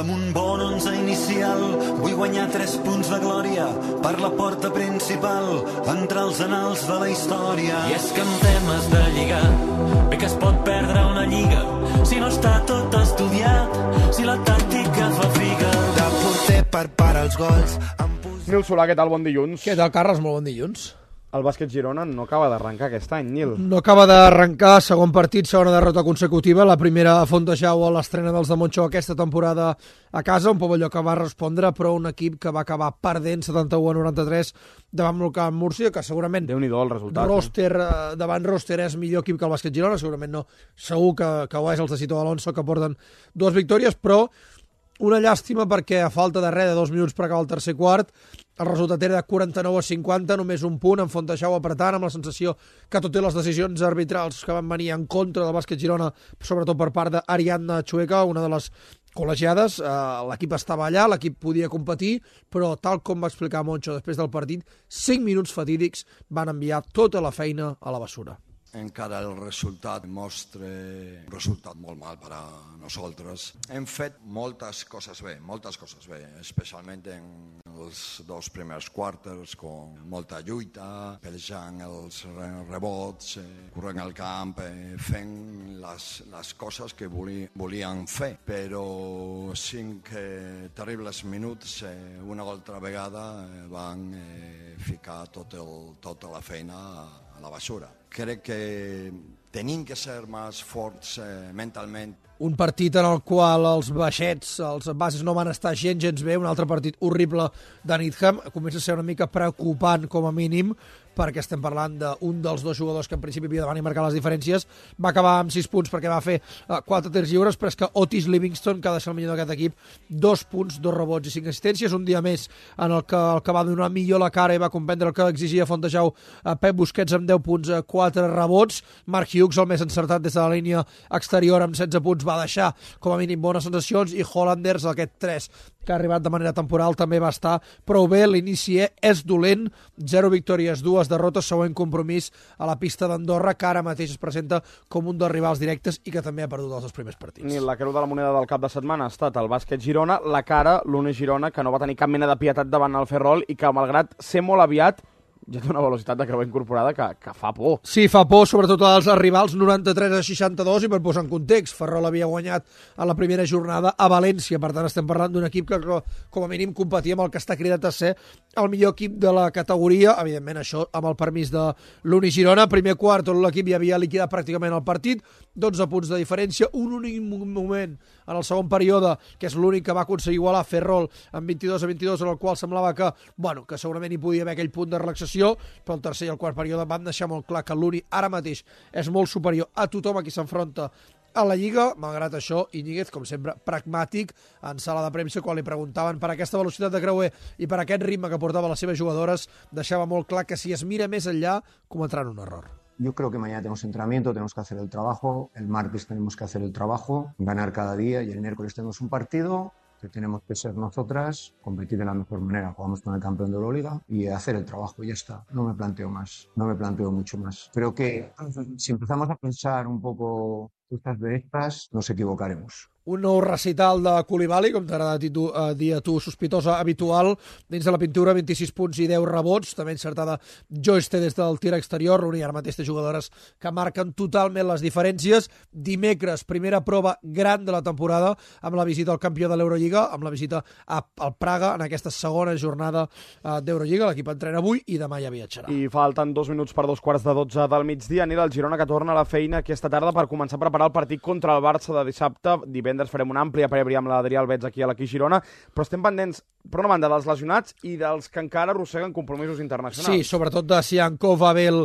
amb un bon 11 inicial. Vull guanyar 3 punts de glòria per la porta principal, entrar als anals de la història. I és que en temes de lligar, bé que es pot perdre una lliga si no està tot estudiat, si la tàctica fa figa. De porter per parar els gols. Nil Solà, què tal? Bon dilluns. Què tal, Carles? Molt bon dilluns. El bàsquet Girona no acaba d'arrencar aquest any, Nil. No acaba d'arrencar, segon partit, segona derrota consecutiva, la primera a Fontejau a l'estrena dels de Montxó aquesta temporada a casa, un pavelló que va respondre, però un equip que va acabar perdent 71-93 davant el Camp Múrcia, que segurament Déu-n'hi-do el resultat. Davant roster és millor equip que el bàsquet Girona, segurament no, segur que ho és els de Cito Alonso, que porten 2 victòries, però una llàstima perquè a falta de res de 2 minuts per acabar el tercer quart, el resultat era de 49-50, només un punt, en Fontejau apretant, amb la sensació que tot i les decisions arbitrals que van venir en contra del bàsquet Girona, sobretot per part d'Ariadna Chueca, una de les col·legiades, l'equip estava allà, l'equip podia competir, però tal com va explicar Moncho després del partit, 5 minuts fatídics van enviar tota la feina a la bessura. Encara el resultat mostra un resultat molt mal per a nosaltres. Hem fet moltes coses bé, especialment en els 2 primers quarters, amb molta lluita, pelejant els rebots, corrent al camp, fent les coses que volíem fer. Però 5 terribles minuts, una altra vegada, van ficar tota la feina a la bessura. Crec que tenim que ser més forts mentalment. Un partit en el qual els baixets, els bases no van estar gens bé, un altre partit horrible de Needham, comença a ser una mica preocupant com a mínim, perquè estem parlant d'un dels 2 jugadors que en principi havia de venir a marcar les diferències, va acabar amb 6 punts perquè va fer 4 tirs lliures, però és que Otis Livingston, que ha de ser el millor d'aquest equip, 2 punts, 2 rebots i 5 assistències, un dia més en el que va donar millor la cara i va comprendre el que exigia Fontejau Pep Busquets amb 10 punts, 4 rebots, Mark Hughes, el més encertat des de la línia exterior amb 16 punts, va deixar com a mínim bones sensacions, i Hollanders, aquest 3 que ha arribat de manera temporal, també va estar prou bé. L'inici és dolent, 0 victòries, 2 derrotes, següent compromís a la pista d'Andorra, que ara mateix es presenta com un dels rivals directes i que també ha perdut els 2 primers partits. Ni la creu de la moneda del cap de setmana ha estat el bàsquet Girona, la cara, l'Uni Girona, que no va tenir cap mena de pietat davant el Ferrol i que, malgrat ser molt aviat, ja té una velocitat de creu incorporada que fa por. Sí, fa por, sobretot als rivals, 93-62, i per posar en context, Ferrol havia guanyat a la primera jornada a València, per tant estem parlant d'un equip que com a mínim competia amb el que està cridat a ser el millor equip de la categoria, evidentment això amb el permís de l'Uni Girona. Primer quart, tot l'equip ja havia liquidat pràcticament el partit, 12 punts de diferència, un únic moment en el segon període, que és l'únic que va aconseguir igualar Ferrol amb 22-22, en el qual semblava que segurament hi podia haver aquell punt de relaxació, però el tercer i el quart període van deixar molt clar que l'Uni ara mateix és molt superior a tothom a qui s'enfronta a la Lliga. Malgrat això, Íñiguez, com sempre, pragmàtic en sala de premsa, quan li preguntaven per aquesta velocitat de creuer i per aquest ritme que portava les seves jugadores, deixava molt clar que si es mira més enllà cometran un error. Yo creo que mañana tenemos entrenamiento, tenemos que hacer el trabajo, el martes tenemos que hacer el trabajo, ganar cada día, y el miércoles tenemos un partido que tenemos que ser nosotras, competir de la mejor manera, jugamos con el campeón de Euroliga y hacer el trabajo, y ya está. No me planteo más, no me planteo mucho más. Creo que si empezamos a pensar un poco cosas de estas, nos equivocaremos. Un nou recital de Coulibaly, com t'agrada dir a tu, sospitosa habitual, dins de la pintura, 26 punts i 10 rebots, també encertada Joyce des del tir exterior, l'Uni ara mateix té jugadores que marquen totalment les diferències. Dimecres, primera prova gran de la temporada, amb la visita al campió de l'Eurolliga, amb la visita al Praga, en aquesta segona jornada d'Eurolliga. L'equip entrena avui i demà ja viatjarà. I falten 2 minuts per 2:45 del migdia. Anirà el Girona, que torna a la feina aquesta tarda per començar a preparar el partit contra el Barça de dissabte. Divendres farem una àmplia prèvia amb l'Adrià Albets aquí a l'Aquí Girona, però estem pendents, per una banda, dels lesionats i dels que encara arrosseguen compromisos internacionals. Sí, sobretot de Siankov, Abel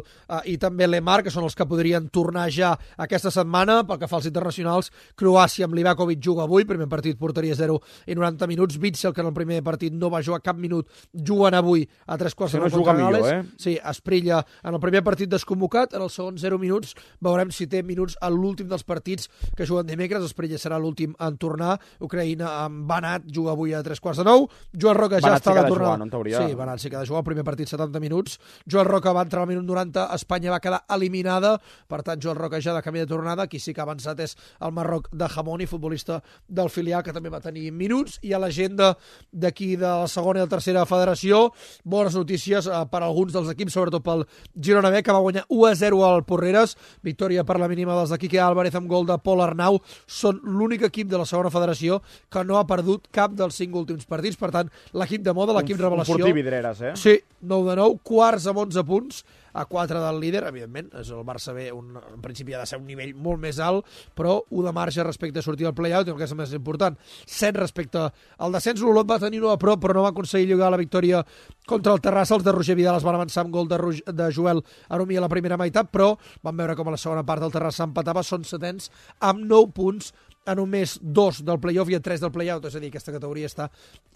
i també Lemar, que són els que podrien tornar ja aquesta setmana. Pel que fa als internacionals, Croàcia amb Livakovic juga avui, primer partit porteria 0 i 90 minuts. Witzel, que en el primer partit no va jugar cap minut, juguen avui a 3/4 contra Gales. Sí, Esprilla en el primer partit desconvocat, en el segon 0 minuts, veurem si té minuts a l'últim dels partits que juguen dimecres. Esprilla serà l'últim en tornar. Ucraïna amb Banat juga avui a 3/4. Joel Roca ja està de tornada. No, en teoria. Sí, Benassi que ha de jugar el primer partit 70 minuts. Joel Roca va entrar al minut 90, Espanya va quedar eliminada, per tant Joel Roca ja de camí de tornada, qui sí que ha avançat és el Marroc de Hamoni, futbolista del filial, que també va tenir minuts, i a l'agenda d'aquí de la segona i la tercera federació, bones notícies per alguns dels equips, sobretot pel Girona B, que va guanyar 1-0 al Porreres, victòria per la mínima dels de Quique Álvarez amb gol de Pol Arnau. Són l'únic equip de la segona federació que no ha perdut cap dels 5 últims partits, per tant, l'equip de moda, l'equip revelació... Un fortí Vidreres, eh? Sí, 9-9, quarts amb 11 punts, a 4 del líder, evidentment, és el Barça B, en principi ha de ser un nivell molt més alt, però 1 de marge respecte a sortir del play-out, i el que és més important, 7 respecte al descens. L'Olot va tenir 1 a prop, però no va aconseguir lligar la victòria contra el Terrassa. Els de Roger Vidal es van avançar amb gol de Joel Aromí a la primera meitat, però van veure com a la segona part el Terrassa empatava, són setens amb 9 punts, a només 2 del play-off i a 3 del play-out, és a dir, aquesta categoria està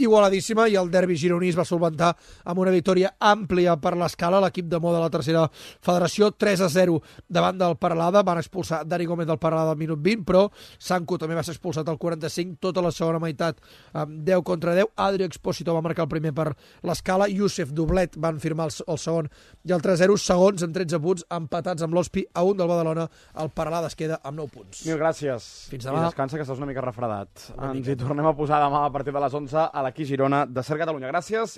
igualadíssima, i el derbi gironí es va solventar amb una victòria àmplia per l'Escala, l'equip de moda de la tercera federació, 3-0 davant del Paralada. Van expulsar Dani Gómez del Paralada al minut 20, però Sanco també va ser expulsat al 45, tota la segona meitat amb 10 contra 10. Adri Expósito va marcar el primer per l'Escala, Youssef Doblet van firmar el segon i el 3-0, segons amb 13 punts, empatats amb l'Hospi a 1 del Badalona. El Paralada es queda amb 9 punts. Mil gràcies. Fins demà. Descansa, que estàs una mica refredat. Ens hi tornem a posar demà a partir de les 11 a l'Aquí Girona de Ser Catalunya. Gràcies.